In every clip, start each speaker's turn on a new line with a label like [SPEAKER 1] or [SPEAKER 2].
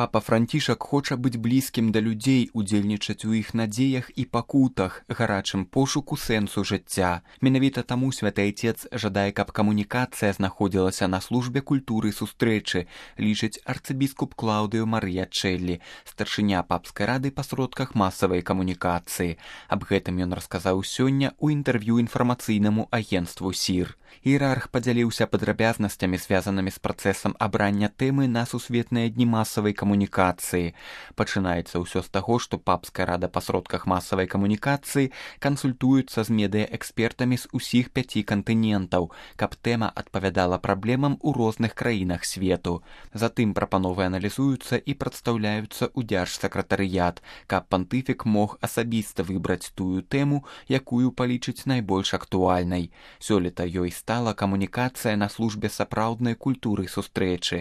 [SPEAKER 1] Папа Францішак хоча быць блізкім да людзей, удзельнічаць у іх надзеях і пакутах, гарачым пошуку сэнсу жыцця. Менавіта таму святы айцец жадае, каб камунікацыя знаходзілася на службе культуры сустрэчы, лічыць арцыбіскуп Клаўдыо Марыя Чэллі, старшыня папскай рады па сродках масавай камунікацыі. Аб гэтым ён расказаў сёння ў інтэрв'ю інфармацыйнаму агенцтву СІР. Іерарх падзяліўся падрабязнасцямі, звязанымі з працэсам абрання тэмы на сусветныя дні масавай камунікацыі. Пачынаецца ўсё з таго, што папская рада па сродках масавай камунікацыі кансультуецца з медыаэкспертамі з усіх 5 кантынентаў, каб тэма адпавядала праблемам у розных краінах свету. Затым прапановы аналізуюцца і прадстаўляюцца ў дзяржсакратарыят, каб пантыфік мог асабіста выбраць тую тэму, якую палічыць найбольш актуальнай. Сёлета ёй стала камунікацыя на службе сапраўднай культуры сустрэчы.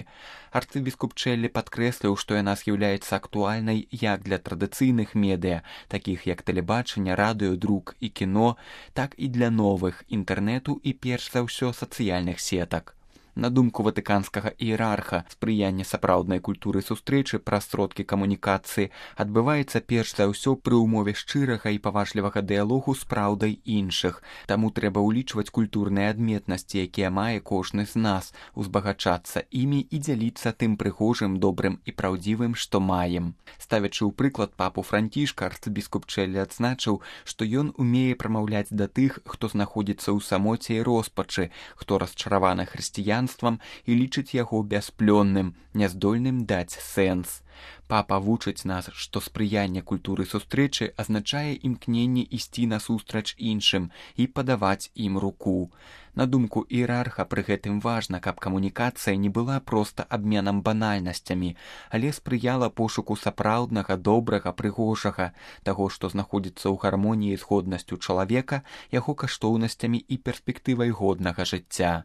[SPEAKER 1] Арцыбіскуп Чэллі падкрэсліў, што яна з'яўляецца актуальнай як для традыцыйных медыа, такіх як тэлебачанне, радыё, друк і кіно, так і для новых інтэрнэту і перш за ўсё сацыяльных сетак. На думку ватыканскага іерарха, спрыянне сапраўднай культуры сустрэчы праз сродкі камунікацыі адбываецца перш за ўсё пры ўмове шчырага і паважлівага дыялогу з праўдай іншых. Таму трэба ўлічваць культурныя адметнасці, якія мае кожны з нас, узбагачацца імі і дзяліцца тым прыгожым, добрым і праўдзівым, што маем. Ставячы ў прыклад папу Францішка, арцыбіскуп Чэллі адзначыў, што ён умее прамаўляць да тых, хто знаходзіцца ў самоце і роспачы, хто расчараваны хрысціянствам і лічыць яго бясплённым, няздольным даць сэнс. Папа вучыць нас, што спрыянне культуры сустрэчы азначае імкненне ісці насустрач іншым і падаваць ім руку. На думку іерарха, пры гэтым важна, каб камунікацыя не была проста абменам банальнасцямі, але спрыяла пошуку сапраўднага, добрага, прыгожага, таго, што знаходзіцца ў гармоніі з годнасцю чалавека, яго каштоўнасцямі і перспектывай годнага жыцця.